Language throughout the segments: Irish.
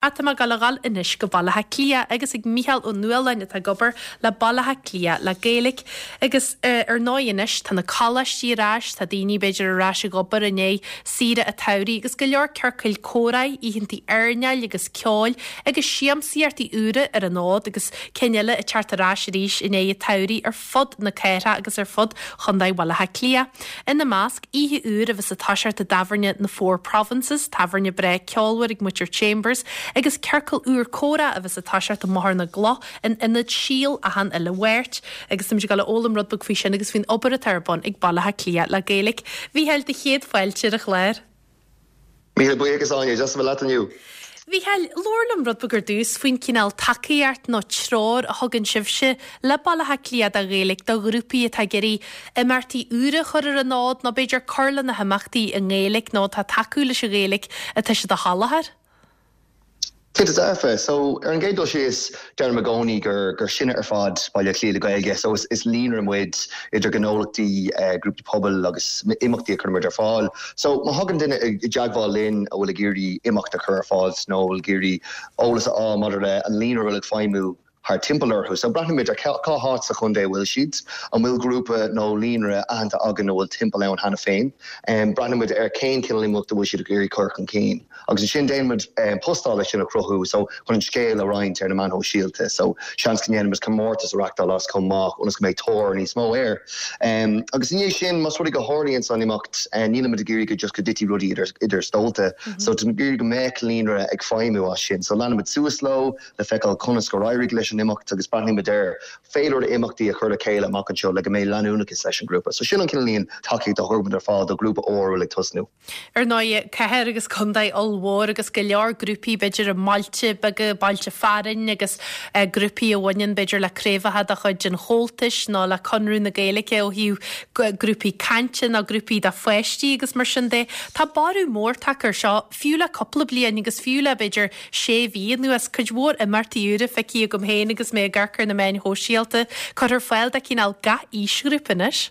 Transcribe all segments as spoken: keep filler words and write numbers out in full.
Tá mé ag gabháil a dhul anois go Baile Átha Cliath agus ag Mícheál Ó Nualláin atá ag obair le Baile Átha Cliath le Gaeilge. Agus uh, ar ndóigh anois tá na coláistí ar ais, tá daoine b'fhéidir ar ais ag obair i ndiaidh saoire an tsamhraidh agus go leor ciorcail comhrá, oícheanta airneáil agus ceoil agus siamsaíochtaí úra ar an fhód agus cinn eile ag teacht ar ais arís i ndiaidh an tsamhraidh ar fud na cathrach agus ar fud Chontae Bhaile Átha Cliath. Ina measc oíche úr a bheas ag toiseacht i dtábhairne na Four Provinces, tábhairne breá ceolmhar ag muintir Chambers, agus ciorcal úr comhrá a bheas ag toiseacht i mBóthar na gCloch in ionad Síol achan uile Mháirt, agus táimid ag gabháil a fhoghlaim rud beag faoi sin agus faoin obair atá ar bun ag Baile Átha Cliath le Gaeilge. Mhícheáil do chéad fáilte ar an chlár. Míle buíochas Áine, deas a bheith leat inniu. Mhícheáil, labhair liom rud beag ar dtús faoin cineál tacaíocht nó treoir a thugann sibhse le Baile Átha Cliath do Ghaeilge do ghrúpaí atá ag iarraidh imeachtaí úra a chur ar an fhód nó b'fhéidir cur le na himeachtaí i nGaeilge nó atá tacú leis an Ghaeilge atá siad a sholáthar. Cinnte dearfa, so ar an gcéad dul síos deirim i gcónaí gur gur sinne ar fad Baile Átha Cliath le Gaeilge, so is, is líonra muid idir gnólachtaí uh, grúpaí pobail agus imeachtaí a chuirimid ar fáil. So má thagann duine i dteagmháil linn a bhfuil ag iarraidh imeacht a chur ar fáil nó ag iarraidh eolas a fháil maidir le an líonra bhfuil ag feidhmiú thar timpeall orthu. So breathnaímid ar cá háit sa chontae bhfuil siad, an bhfuil grúpa nó líonra aitheanta againn a bhfuil timpeall ann cheana féin. Um, breathnaímid ar cén cineál imeacht a bhfuil siad ag iarraidh cur chun cinn. Agus ansin déanaimid um, postáil sin a chruthú so chun an scéal a roinnt ar na meáin shóisialta, so seans go ndéanaimid comórtas a reáchtáil as chomh maith ionas go mbeidh tóir níos mó air. Um, agus inné sin más rud go tharlaíonn san imeacht uh, nílimid ag iarraidh go just go dtitfidh rudaí idir, idir stólta, mm -hmm. so gur go mbeadh líonra ag feidhmiú as sin, so leanaimid suas leo le feiceáil conas gur éirigh leis an imeacht agus breathnaímid ar féilire imeachtaí a chur le chéile amach anseo le go mbeidh leanúnachas leis an grúpa. So sin an cineál tacaíocht a thugaimid ar fáil do grúpa úr ag tosnú. Ar ndóigh cathair agus contae ollmhór agus go leor grúpaí b'fhéidir i mbailte beaga bailte fearainn agus uh, grúpaí a bhaineann b'fhéidir le craobhacha de chuid an Chomhaltais nó le Conradh na Gaeilge ó thaobh grúpaí cainte nó grúpaí do pháistí agus mar sin de. Tá borradh mór tagtha air seo fiú le cúpla bliain agus fiú le b'fhéidir sé mhí anuas cuid mhór imeachtaí úra feicthe agam féin agus mé ag amharc ar na meáin shóisialta curtha ar fáil do cineál gach aoisghrúpa anois.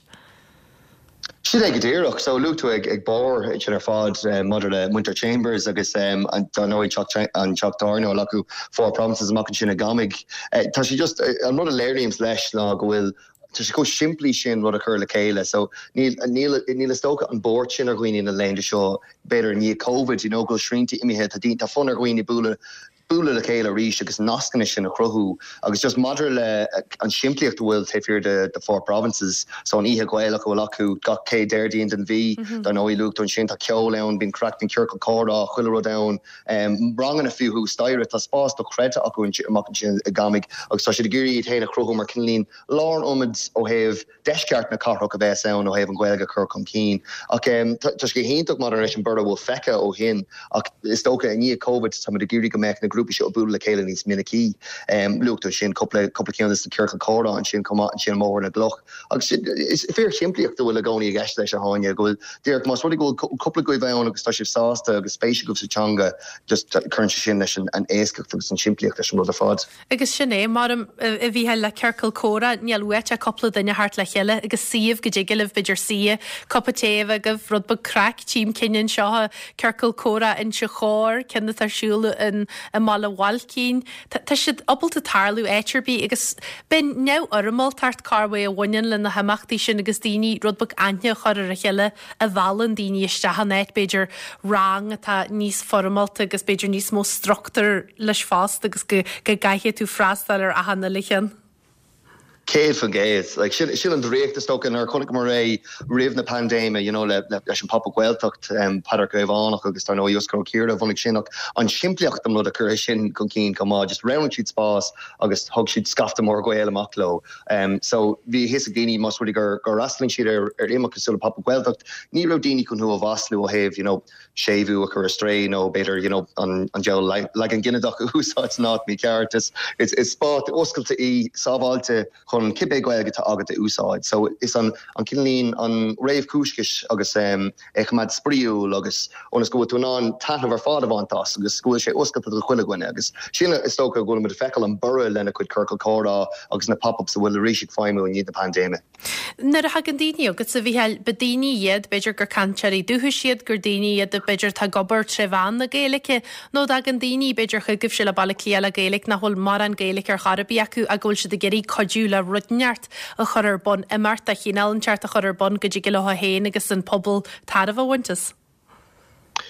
Sin é go díreach so luaigh tú ag ag barr sin ar fad um, maidir le muintir Chambers agus um, an nóid an teach tábhairne acu Four Provinces amach ansin i gCamaigh. Uh, tá sé just uh, an rud a léiríonns leis ná go bhfuil Tá sé chomh simplí sin rud a chur le chéile, so níl níl is dócha an bord sin ar dhaoine na laethanta seo b'fhéidir ní COVID you know, go srianta imithe tá tá fonn ar dhaoine bualadh bualadh le chéile arís agus nascanna sin a chruthú agus just maidir le an simplíocht bhfuil taobh de the four provinces so an oíche Ghaelach bhfuil acu gach céad Déardaoin den mhí mm -hmm. nóí lucht an sin tá ceol ann bíonn craic an ciorcal comhrá chuile rud ann um, ranganna fiú staire tá spás dochreidte acu amach ansin i gCamaigh agus tá siad ag iarraidh féin a chruthú mar cineál lárionad ó thaobh deisceart na cathrach a bheith ann ó thaobh an Ghaeilge chur chun cinn ach um, tá sé hiontach mar leis an borradh bhfuil feicthe ó shin ach is dócha i ndiaidh COVID tá ag iarraidh go mbeadh na grúpaí seo bualadh le chéile níos minicí um, luaigh tú sin cúpla cúpla ceann na ciorcal comhrá ansin chomh maith ansin Bóthar na gCloch agus is fíorshimplíocht bhfuil i gcónaí i gceist leis a Áine go bhfuil díreach más rud go cúpla agaibh ann agus tá sibh sásta agus spéis agaibh sa teanga just cuireann sé sin leis an an éascacht agus an simplíocht leis an rud ar fad. Agus sin é mar a bhí le ciorcal comhrá níl uait ach cúpla duine thart le chéile agus suíomh go dtig libh b'fhéidir suí cupa tae agaibh rud beag craic tím cinnin seo ciorcal comhrá Inse Chór ceann atá ar siúl in i mBaile Bhailcín. Tá siad ábalta tarlú áit ar bith agus bíonn neamhfhoirmeáltacht carhé a bhaineann le na himeachtaí sin agus daoine rud beag aithne a chur ar a chéile a mheallann daoine isteach an áit b'fhéidir rang atá níos foirmeálta agus b'fhéidir níos mó struchtúr leis fosta agus go go gcaithfidh tú freastal ar achan uile cheann. Céad faoin gcéad like, sin, sin an draíocht is dócha ar chonaic mar é roimh na paindéime you know, le, le, leis an Pop-up Gaeltacht um, Peadar Caomhánach agus tar nó Oscar Ciara bhunaigh sin ach an simplíocht an rud a chuir sin chun cinn go maith just roghnaigh siad spás agus thug siad scaifte mór Gael amach leo. Um, so bhí a fhios ag daoine más rud gur gur fhreastalaíonn siad ar ar imeacht cosúil le Pop-up Gaeltacht, ní raibh daoine chun thú a mhaslú ó thaobh you know, séimhiú a chur astray nó b'fhéidir you know, an, an deal leagan ginideach a úsáid san áit mícheart is is, is spás oscailte í sábháilte chun chun cibé Gaeilge atá agat a úsáid. So is an an cineál an réamhchúiscis agus um, é choimeád spraíúil agus ionas go bhfuil tú in ann taitneamh ar fad a bhaint as agus go bhfuil sé oscailte do chuile dhuine agus sin is dócha go bhfuil muid ag feiceáil an borradh lena cuid ciorcal comhrá agus na pop-ups a bhfuil arís ag feidhmiú i ndiaidh na paindéime. Nuair a thagann daoine agus a bhí ba daoine iad b'fhéidir gur cainteoirí dúchais iad gur daoine iad b'fhéidir tá ag obair tré mheán na Gaeilge nó tagann daoine b'fhéidir chugaibhse le Baile Átha Cliath le Gaeilge nach bhfuil mórán Gaeilge ar chor ar bith acu ach go bhfuil siad ag iarraidh cuidiú le rud inteacht a chur ar bun imeacht de chineál inteacht a chur ar bun go dtig leo féin agus an pobal tairbhe a bhaint as.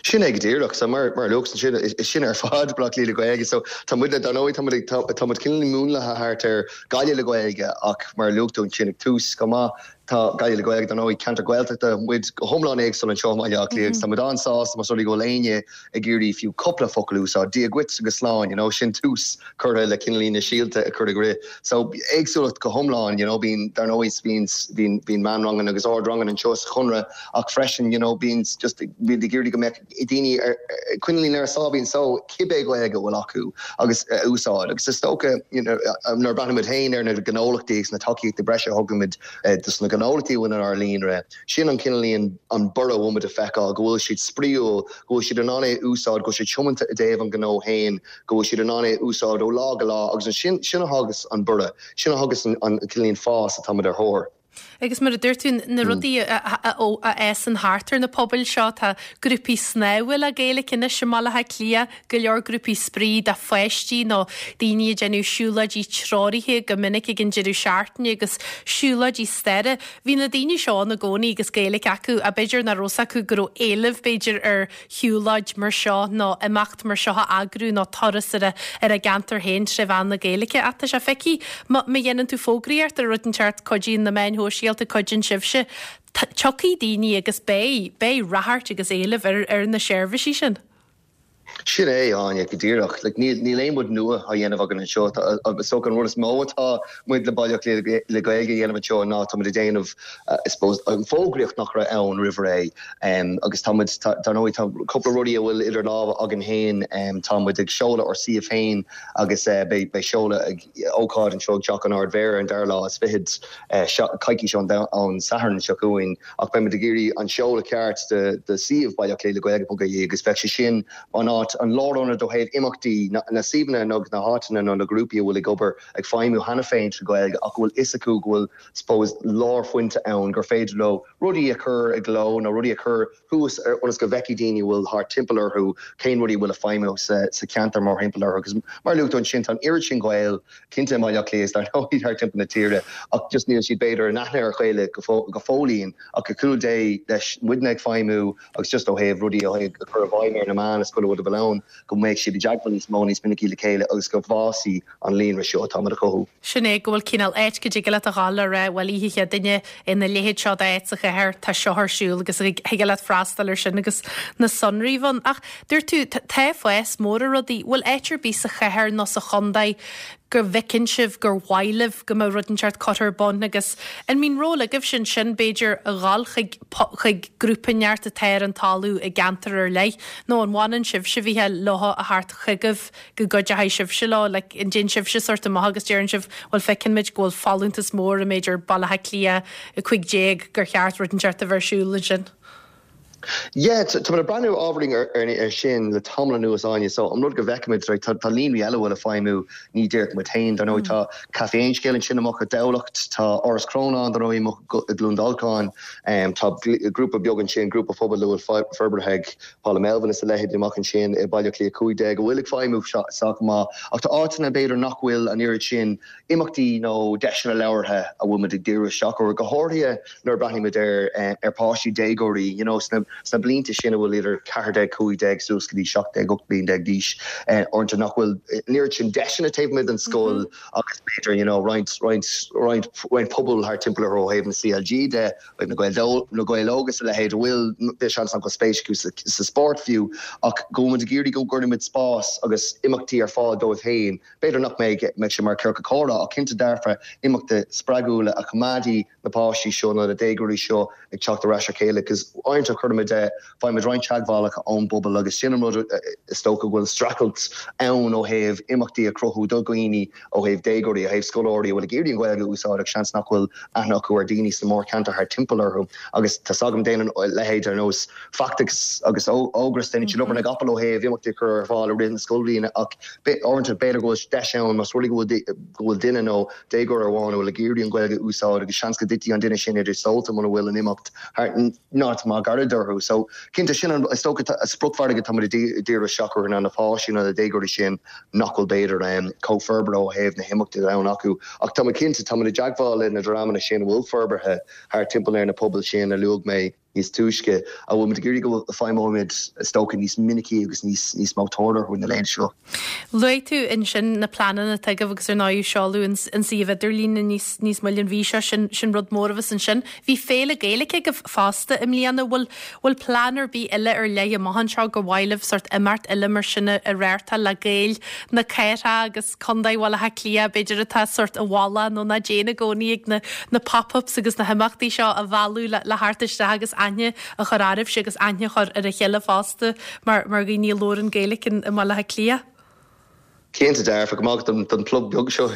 Sin é go díreach so mar mar luach sin is sin ar fad Baile Átha Cliath le Gaeilge so tá muid le dar tá tá cineál múnlaithe thart ar Gaillimh le Gaeilge ach mar luaigh tú sin ag tús go maith tá Gaillimh le Gaeilge don ceantar Gaeltachta muid go hiomlán éagsúil anseo i mBaile Átha Cliath tá muid an-sásta más rud é go bhfuil éinne ag iarraidh fiú cúpla focal úsáid Dia duit agus slán you know sin tús curtha le cineál na síolta a chur ag rith so éagsúlacht go hiomlán you know bíonn dar ndóigh bíonn bíonn bíonn meánranganna agus ardranganna anseo sa Chonradh ach freisin you know bíonn just bíonn ag iarraidh go mbeadh daoine cineál ar sábhín so cibé Gaeilge a bhfuil acu agus úsáid agus is dócha you know nuair a breathnaímid féin ar na gnólachtaí na tacaíochtaí breise a thugaimid dus na gnólachtaí bhfuil ar líonra sin an cineál an borradh muid a feiceáil go bhfuil siad spraíúil go bhfuil siad in ann é úsáid go siad tiomanta i dtaobh an gnó féin go bhfuil siad in ann é úsáid ó lá go lá agus an sin sin a thugas an borradh sin a thugas an, an cineál fás atá ar thóir. Agus mar a dúirt tú na rudaí a fhásann thart ar na pobail seo tá grúpaí snámha le Gaeilge anois i mBaile Átha Cliath go leor grúpaí spraoi do pháistí nó daoine ag déanamh siúlóidí treoraithe go minic ag an deireadh seachtaine agus siúlóidí staire. Bhí na daoine seo ina gcónaí agus Gaeilge acu a b'fhéidir nach raibh acu go raibh éileamh b'fhéidir ar shiúlóid mar seo nó imeacht mar seo a eagrú nó turas ar a ar a gceantar féin tré mheán na Gaeilge ach tá sé feicthe má dhéanann tú fógraíocht ar rud inteacht cuidíonn na meáin shóisialta cuidíonn sibhse. Tiocfaidh daoine agus beidh beidh ráchairt agus éileamh ar ar na seirbhísí sin. Sin é Áine go díreach, like, níl níl aon rud nua á dhéanamh againn anseo agus so an rud is mó atá muid le Baile le Gaeilge a dhéanamh anseo ná tá muid ag déanamh I suppose an fógraíocht nach raibh ann roimh ré um, agus tá dar ndóigh tá cúpla rudaí a bhfuil idir lámha againn féin um, tá muid ag seoladh ár suíomh féin agus uh, beidh beidh seoladh ag ócáid anseo ag Teach an Ardmhéara an dara lá is fichead uh, coicís ón ón Satharn seo chugainn ach beidh muid ag iarraidh an seoladh ceart de de suíomh Baile le Gaeilge agus bheidh sé sin an áit an lárionad ó thaobh imeachtaí na, na suíomhanna nó na háiteanna nó na grúpaí a bhfuil ag obair ag feidhmiú cheana féin sa Ghaeilge ach bhfuil fhios acu go bhfuil suppose lárphointe ann gur féidir leo rudaí a chur i gcló nó rudaí a chur thuas ionas go bhfeicfidh daoine bhfuil thart timpeall orthu cén rudaí bhfuil ag feidhmiú sa, sa cheantar mar thimpeall orthu agus mar luaigh tú ansin an oiread sin Gael cinnte i mBaile Átha Cliath dar ndóigh thar timpeall na tíre ach just níl siad b'fhéidir in aithne ar a chéile go fóillín ach go cúl dé leis muidne ag feidhmiú agus just ó thaobh rudaí ó thaobh chur i bhfeidhm ar na meáin is chuile rud a bhfuil ann go mbeidh siad i dteagmháil níos mó níos minicí le chéile agus go bhfásfaidh an líonra seo atá muid a chothú. Sin é go bhfuil cineál áit go dtig leat a ghabháil le rá bhuel oíche Chéadaoine ina leithéid seo d'áit sa chathair tá seo ar siúl agus thig leat freastal ar sin agus na sonraí ann. Ach dúirt tú tá fás mór ar rudaí, bhfuil áit ar bith sa chathair nó sa chontae go bhfeiceann sibh gur mhaith libh go mbeadh rud inteacht curtha ar bun agus an mbíonn ról agaibh sin sin b'fhéidir a ghabháil chuig chuig grúpa inteacht atá ar an talamh i gceantar ar leith nó an bhfanann sibh se bhíthe leo a theacht chugaibh go gcuideoidh sibhse leo le an dtéann sibhse sort amach agus deireann sibh bhfuil feiceann muid go bhfuil folúntas mór i mb'fhéidir Baile Átha Cliath a cúig déag gur cheart rud inteacht a bheith ar siúl ansin. Yeah, tá ag breathnú ábhairín ar, ar, ar sin le tamall anuas Áine so an rud go bhfeicimid right, tá, tá líonraí eile bhfuil ag feidhmiú ní díreach muid féin dar ndóigh tá Café Aon Scéal ansin amach i dTamhlacht tá Áras Chrónáin dar ndóigh amach i gCluain Dolcáin um, tá grúpa beag ansin grúpa pobail bhfuil forbartha ag Paula Melvin is a leithéid amach ansin i Baile Átha Cliath cúig déag go bhfuil ag feidhmiú sách maith ach tá áiteanna b'fhéidir nach bhfuil an oiread sin imeachtaí nó deiseanna labhartha a bhfuil muid ag díriú isteach go háirithe nuair breathnaímid ar ar páistí déagóirí you know, sna sna blianta sin a bhfuil idir ceathair déag cúig déag suas go dtí seacht déag ocht bliain déag d'aois orintanta nach bhfuil an oiread sin deiseanna taobh amuigh den scoil agus b'fhéidir you know, roinnt roinnt roinnt roinnt pobal thar timpeall ó thaobh na CLG de na Gaeil na Gaeil Óga a leithéid bhfuil seans go spéis acu sa, sa sport fiú ach go bhfuil muid ag iarraidh go gcuirfimid spás agus imeachtaí ar fáil dóibh féin B'fhéidir nach mbeidh mbeidh sé mar ciorcal comhrá ach cinnte dearfa imeachtaí spreagúla a choimeádfaidh na páistí seo nó na déagóirí seo ag teacht ar ais a chéile, cos uaireanta chuir tuairime de faighimid roinnt teagmhálacha ón bpobal agus sin an rud is dócha go bhfuil streachailt ann ó thaobh imeachtaí a chruthú do dhaoine ó thaobh déagóirí ó thaobh scoláirí a bhfuil ag iarraidh an Ghaeilge a úsáid ach seans nach bhfuil aithne acu ar daoine sa mórcheantar thart timpeall orthu agus tá agam déanann leithéid ar nós Feachtas agus Ógras déanann siad obair na gcapall ó thaobh imeachtaí a chur ar fáil i rith na scoilbhliana ach uaireanta b'fhéidir go bhfuil deis ann más rud é go bhfuil duine nó déagóir amháin a bhfuil ag iarraidh an Ghaeilge a úsáid agus seans go dtitfidh an duine sin idir stólta muna bhfuil an imeacht thart ná má gar orthu. So cinnte sin an is dócha a spriocmhargadh tá ag díriú isteach ar na páistí na déagóirí sin nach bhfuil b'fhéidir um, chomh forbartha ó thaobh na himeachtaí ann acu. Ach tá cinnte tá i dteagmháil le na dreamanna sin bhfuil forbartha thar timpeall ar na pobail sin a luaigh mé níos túisce a bhfuil muid ag iarraidh go bhfeidhmeoimid is dócha níos minicí agus níos níos mó tóir na léin seo. Luaigh tú ansin na pleananna atá agaibh agus ar ndóigh seoladh an suíomh idirlín níos níos moille an mhí seo sin sin rud mór agus ansin. Bhí féile Gaeilge agaibh fosta i mbliana bhfuil bhfuil plean ar bith eile ar leith amach anseo gur mhaith libh sórt imeacht eile mar sin a reáchtáil le Gaeil na cathrach agus Contae Bhaile Átha Cliath b'fhéidir atá sórt i bhfolach nó nach dtéann i gcónaí ag na na pop-ups agus na himeachtaí seo a mhealladh le, le theacht isteach agus aithne a chur oraibhse agus aithne a chur ar a chéile fosta mar mar dhaoine a labhrann Gaeilge i mBaile Átha Cliath. Cinnte dearfa go maith don don plug beag seo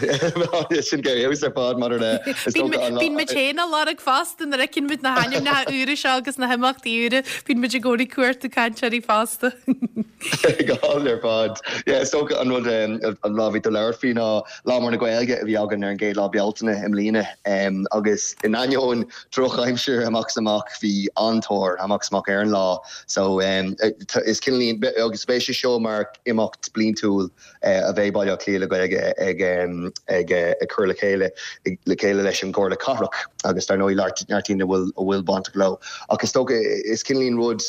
sin go ar fad mar le Bíonn muid féin á lorg fosta nuair a fheiceann muid na hainmneacha úra seo agus na himeachtaí úra, bíonn muid i gcónaí ag cuartú cainteoirí fosta. Go ar fad. So an rud an lá bhí tú labhairt faoi ná Lá Mór na Gaeilge a bhí againn ar an gcéad lá Bealtaine i mbliana agus in ainneoin drochaimsir amach amach bhí an-tóir amach amach ar an lá. So um, is cineál agus beidh sé seo mar imeacht bliantúil uh, a bheidh Baile Átha Cliath le Gaeilge ag ag ag cur le chéile le chéile leis an gComhairle Cathrach agus dar ndóigh neart daoine bhfuil a bhfuil bainteach leo. Ach is dócha is cineál rud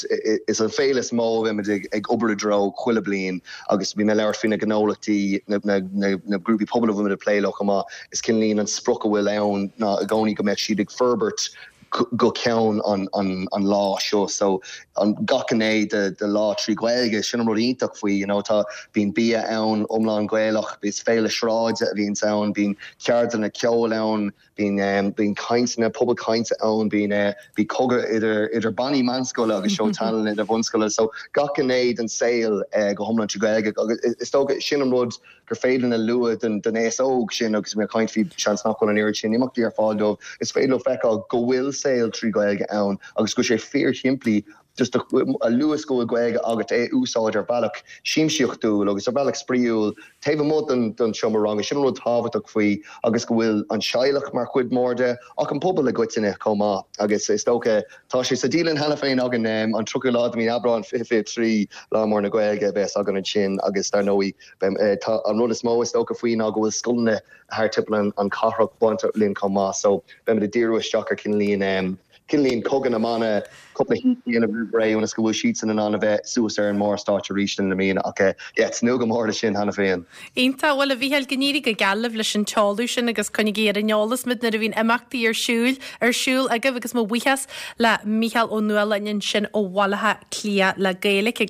is an féile is mó a bheimid ag ag obair i dtreo chuile bliain agus bhí mé labhairt faoi na gnólachtaí na, na, na, na grúpaí pobail a bhfuil plé leo chomh maith is cineál an sprioc a bhfuil ann ná i gcónaí go mbeadh siad ag forbairt go ceann an, an, an lá seo so an gach gné de, de lá trí Ghaeilge sin an rud iontach faoi you know, tá bíonn bia ann iomlán Gaelach is féile sráide a bhíonn ann bíonn ceardlanna ceoil ann bíonn um, bíonn cainteanna pobal cainte ann bíonn uh, bhí cogadh idir idir bannaí meánscoile agus seó tallann idir bunscoile so gach gné den saol uh, go hiomlán trí Ghaeilge agus is dócha sin an rud gur féidir a lua den den aos óg sin agus mé caint faoi seans nach bhfuil an oiread sin imeachtaí ar fáil dóibh is féidir leo feiceáil go bhfuil saol trí Ghaeilge ann agus go sé fíorshimplí just a luas go Gaeilge agat é úsáid ar bhealach siamsaíochtúil agus ar bhealach spraíúil taobh amuigh den den seomra ranga sin rud tábhachtach faoi agus go bhfuil an teaghlach mar chuid mór de ach an pobal i gcoitinne chomh maith agus is dócha tá sé sa dialann cheana féin againn um, an tríochadú lá de mhí Aibreán fiche fiche trí Lá Mór na Gaeilge bheas againn ansin agus dar ndóigh eh, tá an rud is mó is dócha faoi ná go bhfuil scoileanna thar timpeall an cathrach bainteach linn chomh maith so beimid ag díriú isteach ar cineál um, cineál cogadh na mbannaí cúpla ré ionas go bhfuil siad san an an bheith suas ar an mórstáitse arís na mí ach tnúth go mór sin cheana féin. Iontach bhuel a Mhícheáil go n-éirí go geal libh leis an tseoladh sin agus coinnigí ar an eolas muid nuair a bhíonn imeachtaí ar siúl ar siúl agaibh agus mo bhuíochas le Mícheál Ó Nualláin ansin ó Bhaile Átha Cliath le Gaeilge.